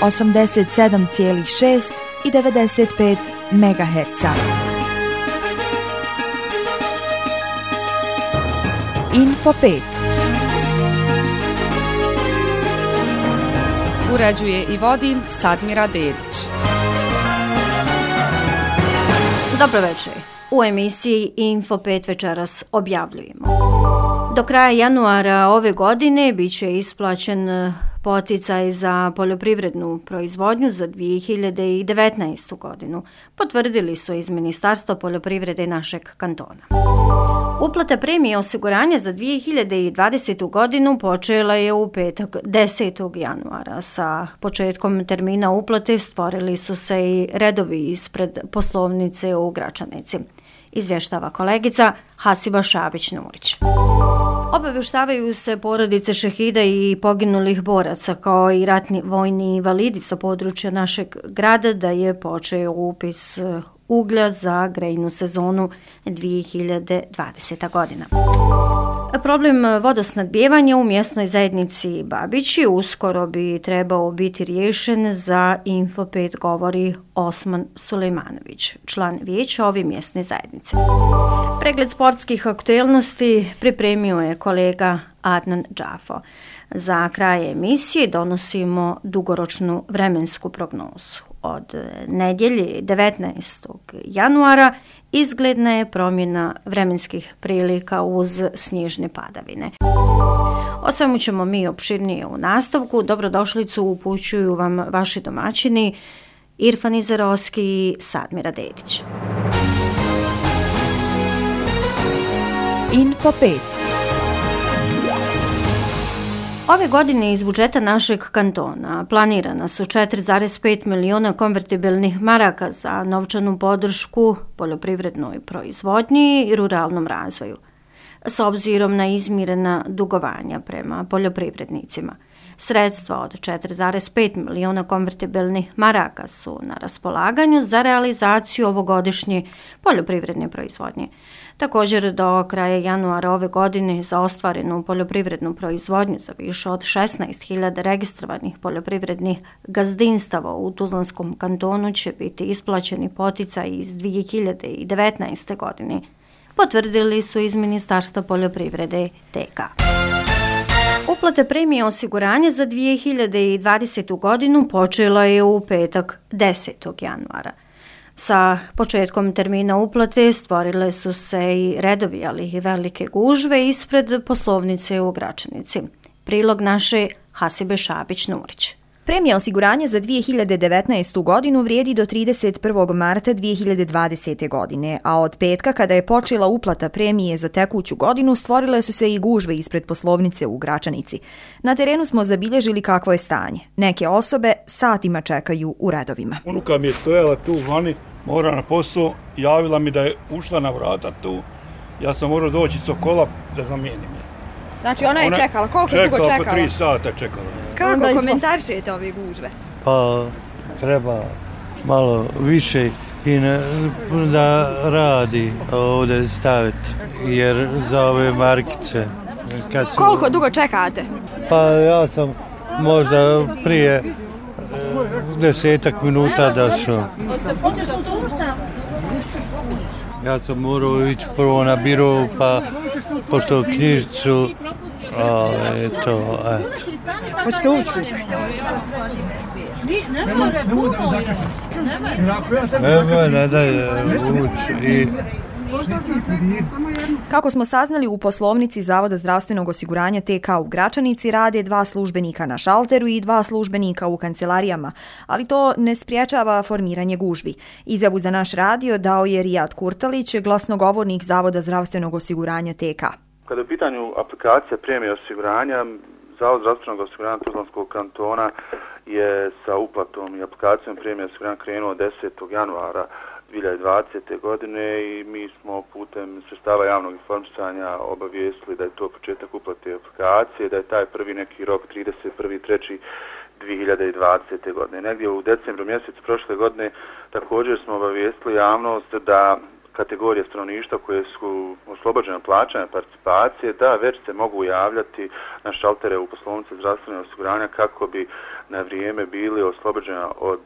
87,6 i 95 MHz. Info 5. Uređuje i vodi Sadmira Dedić. Dobro večer. U emisiji Info 5 večeras objavljujemo. Do kraja januara ove godine bit će isplaćen poticaj za poljoprivrednu proizvodnju za 2019. godinu, potvrdili su iz Ministarstva poljoprivrede našeg kantona. Uplata premije osiguranja za 2020. godinu počela je u petak 10. januara. Sa početkom termina uplate stvorili su se i redovi ispred poslovnice u Gračanici. Izvještava kolegica Hasiba Šabić-Nurić. Obavještavaju se porodice šehida i poginulih boraca kao i ratni vojni invalidi sa područja našeg grada da je počeo upis uglja za grejnu sezonu 2020. godina. Problem vodosnabdijevanja u mjesnoj zajednici Babići uskoro bi trebao biti riješen, za Info 5 govori Osman Sulejmanović, član vijeća ove mjesne zajednice. Pregled sportskih aktualnosti pripremio je kolega Adnan Džafo. Za kraj emisije donosimo dugoročnu vremensku prognozu. Od nedjelje 19. januara izgledna je promjena vremenskih prilika uz snježne padavine. O svemu ćemo mi opširnije u nastavku. Dobrodošlicu upućuju vam vaši domaćini Irfan Izarovski i Sadmira Dedić. Info 5. Ove godine iz budžeta našeg kantona planirana su 4,5 miliona konvertibilnih maraka za novčanu podršku poljoprivrednoj proizvodnji i ruralnom razvoju, s obzirom na izmirena dugovanja prema poljoprivrednicima. Sredstva od 4,5 miliona konvertibilnih maraka su na raspolaganju za realizaciju ovogodišnje poljoprivredne proizvodnje. Također do kraja januara ove godine za ostvarenu poljoprivrednu proizvodnju za više od 16.000 registrovanih poljoprivrednih gazdinstava u Tuzlanskom kantonu će biti isplaćeni poticaj iz 2019. godine, potvrdili su iz Ministarstva poljoprivrede TK. Uplata premije osiguranja za 2020. godinu počela je u petak 10. januara. Sa početkom termina uplate stvorile su se i redovi, ali i velike gužve ispred poslovnice u Gračanici. Prilog naše Hasibe Šabić-Nurić. Premija osiguranja za 2019. godinu vrijedi do 31. marta 2020. godine, a od petka kada je počela uplata premije za tekuću godinu stvorile su se i gužve ispred poslovnice u Gračanici. Na terenu smo zabilježili kakvo je stanje. Neke osobe satima čekaju u redovima. Unuka mi je stojala tu vani, mora na posao, javila mi da je ušla na vrata tu. Ja sam morao doći s kola da zamijenim je. Znači ona je čekala, koliko dugo čekala? Čekala, po 3 sata čekala. Kako komentarišete ove gužve? Pa treba malo više i da radi ovdje staviti, jer za ove markice. Koliko dugo čekate? Pa ja sam možda prije 10 minuta došao. Ja sam morao ići prvo na biro, pa pošto knjižicu, to, eto. Hoćete ući? Ne daje ući. Kako smo saznali, u poslovnici Zavoda zdravstvenog osiguranja TK u Gračanici rade 2 službenika na šalteru i 2 službenika u kancelarijama, ali to ne spriječava formiranje gužvi. Izjavu za naš radio dao je Rijad Kurtalić, glasnogovornik Zavoda zdravstvenog osiguranja TK. Kada je u pitanju aplikacija premije osiguranja, Zavod zdravstvenog osiguranja Tuzlanskog kantona je sa uplatom i aplikacijom premije osiguranja krenuo 10. januara 2020. godine i mi smo putem sredstava javnog informisanja obavijestili da je to početak uplate aplikacije, da je taj prvi neki rok 31.3.2020. godine. Negdje u decembru mjesecu prošle godine također smo obavijestili javnost da kategorije stanovništva koje su oslobođene plaćanja participacije, da već se mogu javljati na šaltere u poslovnici zdravstvenog osiguranja kako bi na vrijeme bili oslobođena od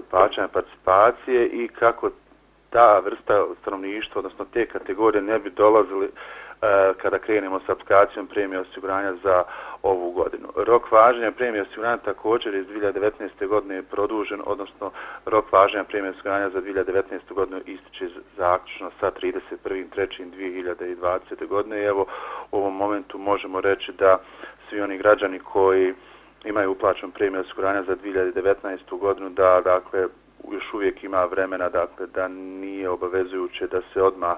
plaćanja participacije i kako ta vrsta stanovništva, odnosno te kategorije ne bi dolazili kada krenemo s aplikacijom premije osiguranja za ovu godinu. Rok važenja premije osiguranja također iz 2019. godine je produžen, odnosno rok važenja premije osiguranja za 2019. godinu ističe zaključno sa 31.3.2020. godine i evo u ovom momentu možemo reći da svi oni građani koji imaju uplaćen premije osiguranja za 2019. godinu da dakle još uvijek ima vremena dakle da nije obavezujuće da se odmah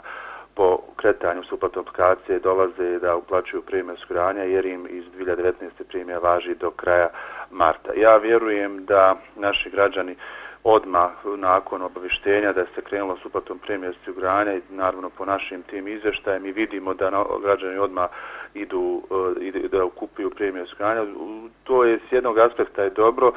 po kretanju s uplatom aplikacije dolaze da uplaćuju premije osiguranja jer im iz 2019. premija važi do kraja marta. Ja vjerujem da naši građani odmah nakon obavještenja da se krenulo s uplatom premije osiguranja i naravno po našim tim izvještajem mi vidimo da građani odmah idu da kupuju premije osiguranja. To je s jednog aspekta je dobro,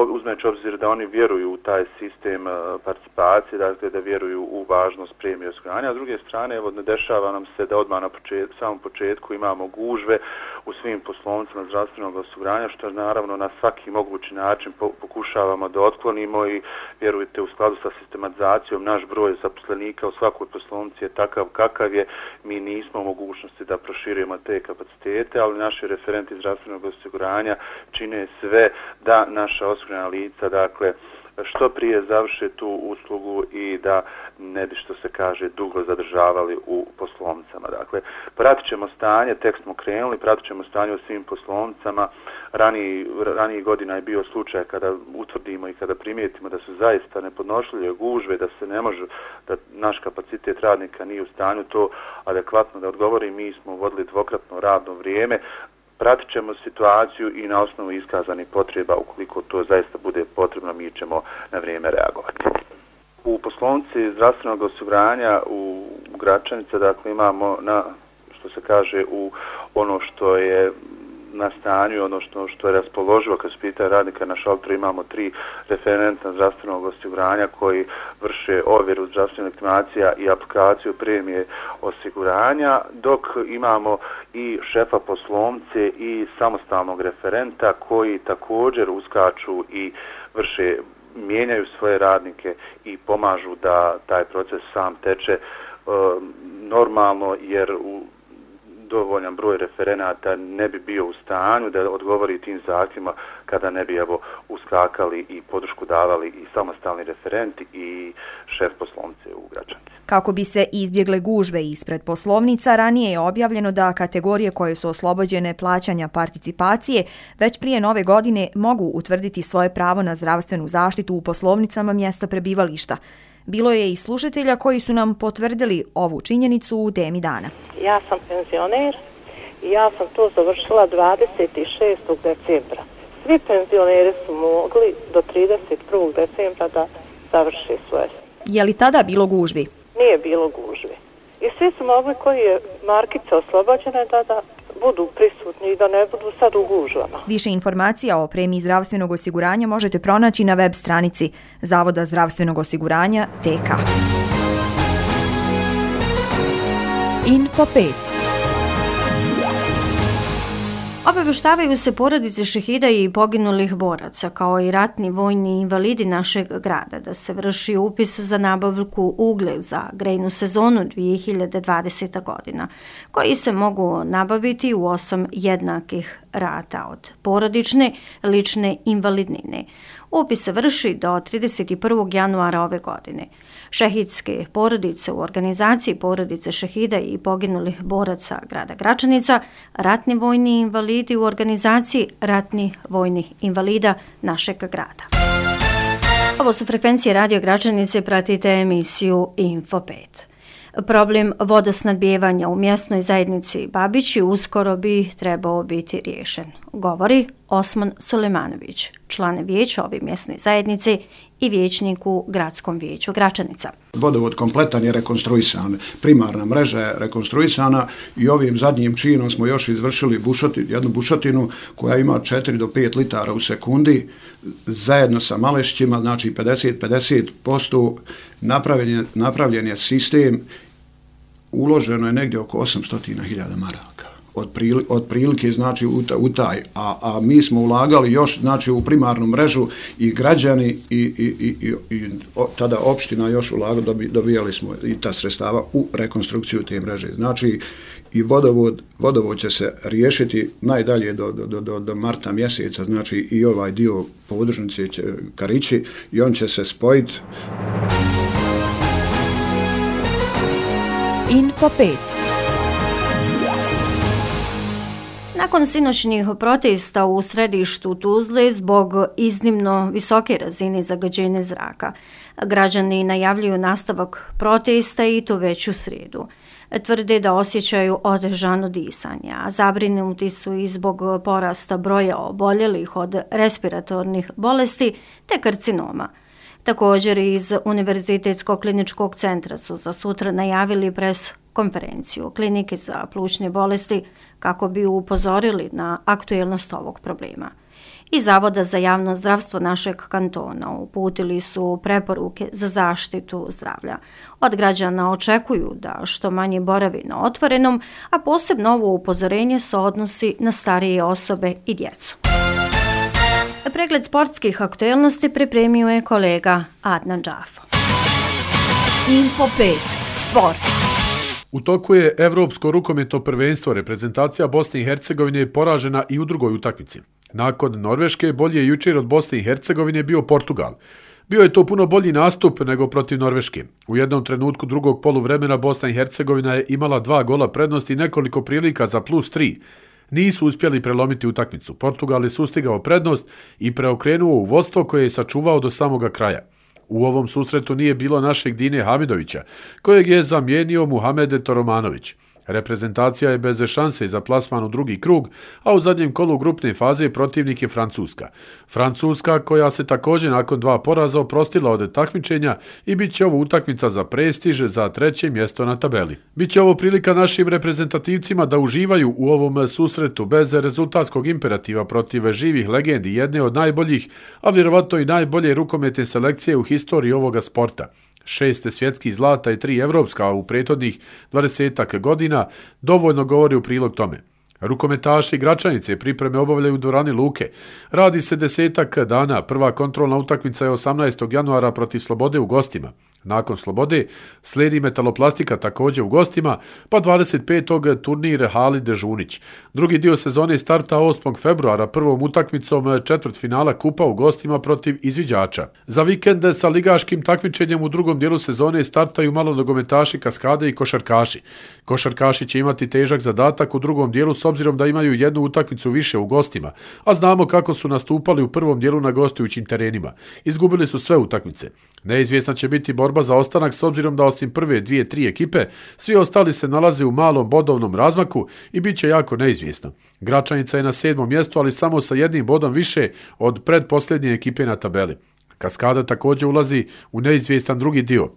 uzmeći obzir da oni vjeruju u taj sistem participacije, dakle da vjeruju u važnost premije osiguranja. A s druge strane, evo, ne dešava nam se da odmah na samom početku imamo gužve u svim poslovnicama zdravstvenog osiguranja, što naravno na svaki mogući način pokušavamo da otklonimo i vjerujte u skladu sa sistematizacijom naš broj zaposlenika u svakoj poslovnici je takav kakav je, mi nismo u mogućnosti da proširujemo te kapacitete, ali naši referenti zdravstvenog osiguranja čine sve da naša osigurana lica, dakle, što prije završe tu uslugu i da ne bi, što se kaže, dugo zadržavali u poslovnicama. Dakle, pratit ćemo stanje, tek smo krenuli, pratit ćemo stanje u svim poslovnicama. Ranijih godina je bio slučaj kada utvrdimo i kada primijetimo da su zaista nepodnošljive gužve, da se ne može, da naš kapacitet radnika nije u stanju to adekvatno da odgovori. Mi smo vodili dvokratno radno vrijeme. Pratit ćemo situaciju i na osnovu iskazanih potreba, ukoliko to zaista bude potrebno, mi ćemo na vrijeme reagovati. U poslovnici zdravstvenog osiguranja u Gračanice, dakle, imamo što se kaže, u ono što je na stanju, ono što je raspoloživo kad se pita radnika na šalteru, imamo 3 referenta zdravstvenog osiguranja koji vrše ovjeru zdravstvenih legitimacija i aplikaciju premije osiguranja, dok imamo i šefa poslovnice i samostalnog referenta koji također uskaču i vrše, mijenjaju svoje radnike i pomažu da taj proces sam teče normalno, jer dovoljan broj referenata ne bi bio u stanju da odgovori tim zahtjevima kada ne bi uskakali i podršku davali i samostalni referenti i šef poslovnice u Gračanici. Kako bi se izbjegle gužve ispred poslovnica, ranije je objavljeno da kategorije koje su oslobođene plaćanja participacije već prije nove godine mogu utvrditi svoje pravo na zdravstvenu zaštitu u poslovnicama mjesta prebivališta. Bilo je i slušatelja koji su nam potvrdili ovu činjenicu u temi dana. Ja sam penzioner i ja sam to završila 26. decembra. Svi penzioneri su mogli do 31. decembra da završe svoje. Je li tada bilo gužvi? Nije bilo gužvi. I svi su mogli koji je markica oslobođena da budu prisutni i da ne budu sad u gužvama. Više informacija o premiji zdravstvenog osiguranja možete pronaći na web stranici Zavoda zdravstvenog osiguranja TK. Info 5. Obavještavaju se porodice šehida i poginulih boraca, kao i ratni vojni invalidi našeg grada, da se vrši upis za nabavku uglje za grejnu sezonu 2020. godina, koji se mogu nabaviti u 8 jednakih rata od porodične, lične invalidnine. Upis se vrši do 31. januara ove godine. Šehidske porodice u organizaciji porodice šehida i poginulih boraca grada Gračanica, ratni vojni invalidi u organizaciji ratnih vojnih invalida našeg grada. Ovo su frekvencije Radio Gračanice, pratite emisiju Info 5. Problem vodosnadbijevanja u mjesnoj zajednici Babići uskoro bi trebao biti riješen, govori Osman Sulejmanović, član vijeća ove mjesne zajednice i vijećnik u Gradskom vijeću Gračanica. Vodovod kompletan je rekonstruisan, primarna mreža je rekonstruisana i ovim zadnjim činom smo još izvršili jednu bušotinu koja ima 4 do 5 litara u sekundi, zajedno sa Malešćima, znači 50% napravljen je sistem, uloženo je negdje oko 800.000 maraka. Otprilike znači u taj, a mi smo ulagali još znači u primarnu mrežu i građani i tada opština još ulagali, dobijali smo i ta sredstava u rekonstrukciju te mreže. Znači i vodovod će se riješiti najdalje do marta mjeseca, znači i ovaj dio podružnice Karići i on će se spojiti. Info 5. Nakon sinoćnih protesta u središtu Tuzle zbog iznimno visoke razine zagađenja zraka, građani najavljuju nastavak protesta i to već u srijedu. Tvrde da osjećaju otežano disanje, a zabrinuti su i zbog porasta broja oboljelih od respiratornih bolesti te karcinoma. Također iz Univerzitetskog kliničkog centra su za sutra najavili pres konferenciju klinike za plućne bolesti kako bi upozorili na aktuelnost ovog problema. Iz Zavoda za javno zdravstvo našeg kantona uputili su preporuke za zaštitu zdravlja. Od građana očekuju da što manje boravi na otvorenom, a posebno ovo upozorenje se odnosi na starije osobe i djecu. Pregled sportskih aktuelnosti pripremio je kolega Adnan Džafo. Info 5. Sport. U toku je Evropsko rukometno prvenstvo. Reprezentacija Bosne i Hercegovine je poražena i u drugoj utakmici. Nakon Norveške, bolje je jučer od Bosne i Hercegovine bio Portugal. Bio je to puno bolji nastup nego protiv Norveške. U jednom trenutku drugog poluvremena Bosna i Hercegovina je imala 2 gola prednosti i nekoliko prilika za +3. Nisu uspjeli prelomiti utakmicu. Portugal je sustigao prednost i preokrenuo u vodstvo koje je sačuvao do samoga kraja. U ovom susretu nije bilo našeg Dine Hamidovića, kojeg je zamijenio Muhammed Toromanović. Reprezentacija je bez šanse za plasman u drugi krug, a u zadnjem kolu grupne faze protivnik je Francuska. Francuska koja se također nakon 2 poraza oprostila od takmičenja i bit će ovo utakmica za prestiž za 3. mjesto na tabeli. Biće ovo prilika našim reprezentativcima da uživaju u ovom susretu bez rezultatskog imperativa protiv živih legendi, jedne od najboljih, a vjerovatno i najbolje rukometne selekcije u historiji ovoga sporta. 6 svjetskih zlata i 3 evropska u prethodnih 20 godina dovoljno govori u prilog tome. Rukometaši Gračanice pripreme obavljaju u dvorani Luke. Radi se 10 dana, prva kontrolna utakmica je 18. januara protiv Slobode u gostima. Nakon Slobode slijedi Metaloplastika također u gostima, pa 25. turnir Halid Žunić. Drugi dio sezone starta 8. februara prvom utakmicom četvrtfinala kupa u gostima protiv izviđača. Za vikend sa ligaškim takmičenjem u drugom dijelu sezone startaju malonogometaši Kaskade i košarkaši. Košarkaši će imati težak zadatak u drugom dijelu s obzirom da imaju jednu utakmicu više u gostima, a znamo kako su nastupali u prvom dijelu na gostujućim terenima. Izgubili su sve utakmice. Neizvjesna će biti borba za ostanak s obzirom da osim prve 2-3 ekipe, svi ostali se nalaze u malom bodovnom razmaku i bit će jako neizvjesno. Gračanica je na 7. mjestu, ali samo sa 1 bodom više od predposljednje ekipe na tabeli. Kaskada također ulazi u neizvjestan drugi dio.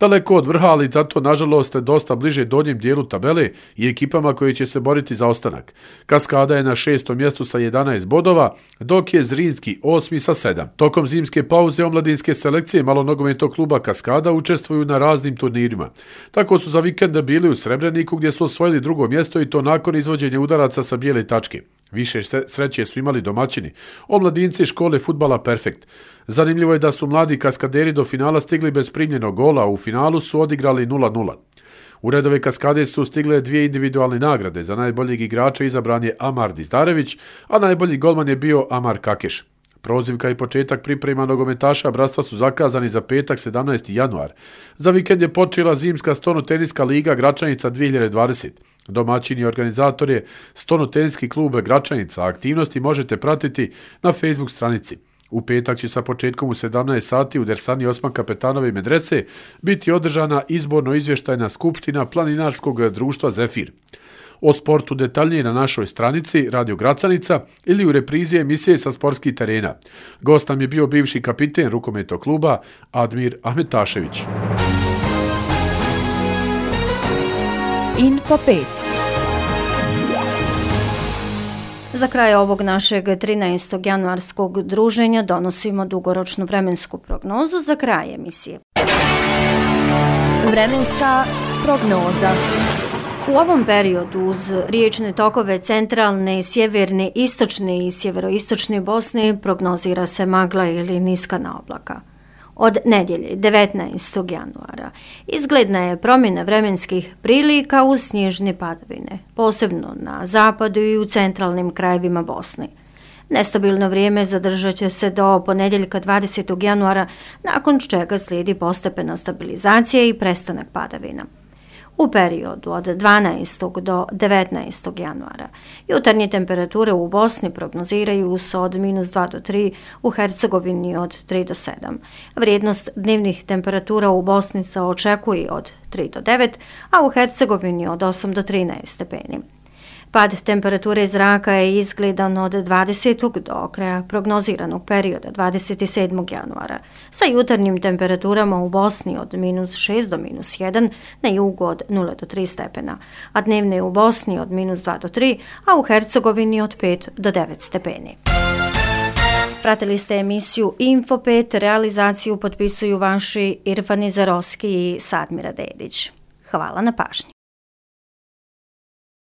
Daleko od vrha, ali zato nažalost dosta bliže donjem dijelu tabele i ekipama koji će se boriti za ostanak. Kaskada je na 6. mjestu sa 11 bodova, dok je Zrinski 8. sa 7. Tokom zimske pauze omladinske selekcije malonogometnog kluba Kaskada učestvuju na raznim turnirima. Tako su za vikend bili u Srebreniku gdje su osvojili 2. mjesto i to nakon izvođenja udaraca sa bijele tačke. Više sreće su imali domaćini, omladinci škole fudbala Perfekt. Zanimljivo je da su mladi kaskaderi do finala stigli bez primljenog gola, a u finalu su odigrali 0-0. U redove Kaskade su stigle 2 individualne nagrade. Za najboljeg igrača izabran je Amar Dizdarević, a najbolji golman je bio Amar Kakeš. Prozivka i početak priprema nogometaša bratstva su zakazani za petak 17. januar. Za vikend je počela zimska stonoteniska liga Gračanica 2020. Domaćin i organizator je Stonoteniski klub Gračanica. Aktivnosti možete pratiti na Facebook stranici. U petak će sa početkom u 17 sati u Dersani Osman Kapetanove medrese biti održana izborno-izvještajna skupština Planinarskog društva Zefir. O sportu detaljnije na našoj stranici Radio Gračanica ili u reprizi emisije sa sportskih terena. Gost nam je bio bivši kapiten rukometnog kluba Admir Ahmetašević. Info 5. Za kraj ovog našeg 13. januarskog druženja donosimo dugoročnu vremensku prognozu za kraj emisije. Vremenska prognoza. U ovom periodu uz riječne tokove centralne, sjeverne, istočne i sjeveroistočne Bosne prognozira se magla ili niskana oblaka. Od nedjelje 19. januara izgledna je promjena vremenskih prilika uz snježne padavine, posebno na zapadu i u centralnim krajevima Bosne. Nestabilno vrijeme zadržat će se do ponedjeljka 20. januara, nakon čega slijedi postepena stabilizacija i prestanak padavina. U periodu od 12. do 19. januara jutarnje temperature u Bosni prognoziraju se od -2 do 3, u Hercegovini od 3 do 7. Vrijednost dnevnih temperatura u Bosni se očekuje od 3 do 9, a u Hercegovini od 8 do 13 stepeni. Pad temperature zraka je izgledan od 20. do kraja prognoziranog perioda 27. januara, sa jutarnjim temperaturama u Bosni od -6 do -1, na jugu od 0 do 3 stepena, a dnevne u Bosni od -2 do 3, a u Hercegovini od 5 do 9 stepeni. Pratili ste emisiju Info 5, realizaciju potpisuju vaši Irfan Izarovski i Sadmira Dedić. Hvala na pažnji.